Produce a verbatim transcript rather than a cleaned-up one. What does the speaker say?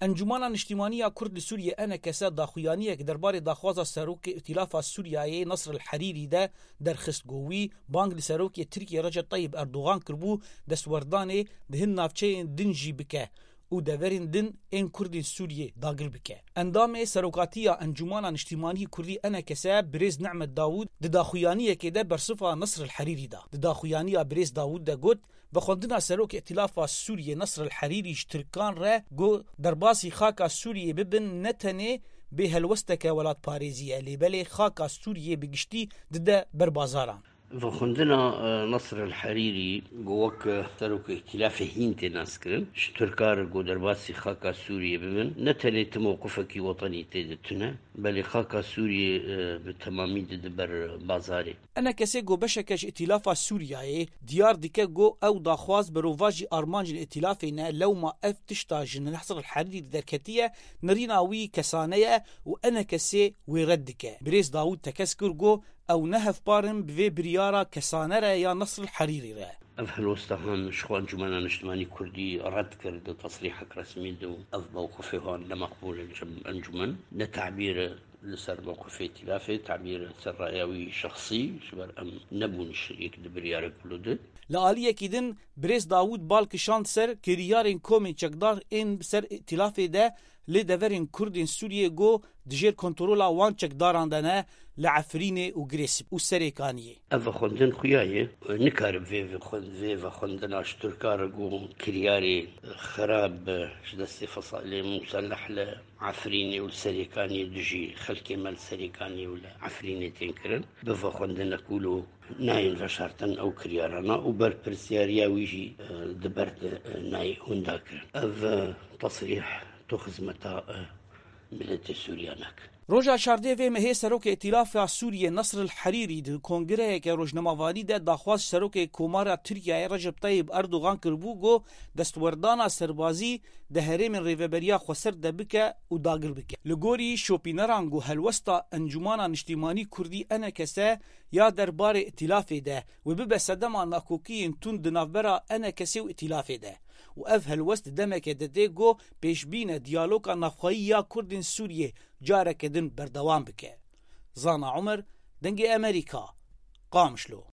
Encûmana Niştîmanî ya Kurd li Sûriyê, ENKS, daxuyaniyek derbarê daxwaza Serokê Îtîlafa Sûriyeyê Nasr el Herîrî de derxist, got wî bang li Serokê Tirkiyê Recep Tayyip Erdogan kiribû destwerdanê di hin navçeyên din jî bike û deverên din ên Kurdên Sûriyê dagir bike. Endamê Serokatiya Encûmana Niştîmanî Kurdî, ENKS, birêz Nehmet Dawûd di daxuyaniyekê de bersiva Nasr el Herîrî da. Di daxuyaniya birêz Dawûd de got, vexwendina Serokê Îtîlafa Sûriyê Nasr el Herîrî ji Tirkan re got derbasî xaka Sûriyê bibin ne tenê bê helwesteke welatparêzî ye, lê belê xaka Sûriyê bi giştî dide ber bazaran. Vexwendina, e, Nasr el Herîrî got wek, e, Serokê Îtîlafê hîn tê naskirin, ji Tirka re got derbasî xaka Sûriyê bibin, ne tenê ti mewqifekî wetenî tê de tune, belê xaka Sûriyê, e, bi temamî dide ber bazarê. ENKS'ê got beşeke ji Îtîlafa Sûriyeyê diyar dike got ew daxwaz berovajî armancên Îtîlafê ne, lewma ev tişta ji Nasr el Herîrî derketiye, nirîna wî kesane ye û ENKS'ê wê red dike. Birêz Dawûd tekez kir got ew ne hevpar in bi vê biryara kesane re ya Nasr el Herîrî re. Ev helwesta han ji xwe Encûmena Niştimanî Kurdî red kir di tesrîhek resmî de û ev mewqifê wan ne meqbûl e li cem encûmen. Ne tabîr e li ser mewqifê Îtîlafê, tabîr e li ser raya wî şexsî, ji ber em nebûn şirîk di biryarek wilo de. Li aliyekî din, birêz Dawûd bal kişand ser kiryarên komên çekdar ên bi ser Îtîlafê de lê deverên Kurdên Sûriyê got di jêr kontrola wan çekdaran de ne, li Efrînê û Girêsip û Serêkaniyê. Ev vexwendin xuya ye. Nikare vê vexwend-, vê vexwendina ji Tirka re got kiryarê xerab ji destê fesalê museleh li Efrînê û li Serêkaniyê dijî xelkê me li Serêkaniyê û li Efrînê tên kirin. Bi vexwendinek wilo nayên veşartin ew kiryarana û berpirsiyariya wî jî, e, di ber de, e, nayê winda kirin. Ev, e, tesrîh tu xizmeta, e, miletê Sûriya nake. Roja çardeh vê mehê Serokê Îtîlafa Sûriyê Nasr el Herîrî di kongreyeke rojnamevanî de daxwaz ji Serokê Komara Tirkiyeyê Recep Tayyip Erdogan kiribû, got destwerdana serbazî di herêmên Rêveberiya Xweser de bike û dagir bike. Li gorî şopîneran, got helwesta Encûmana Niştimanî Kurdî, ENKS, ya derbarê Îtîlafê de wê bibe sedema nakokiyên tund di navbera ENKS'ê û Îtîlafê de. Û ev helwest di demeke de tê, got pêşbîn e diyaloga navxweyî ya Kurdên Sûriyê careke din berdewam bike. Zana Umer, Dengê Amerîka, Qamişlo.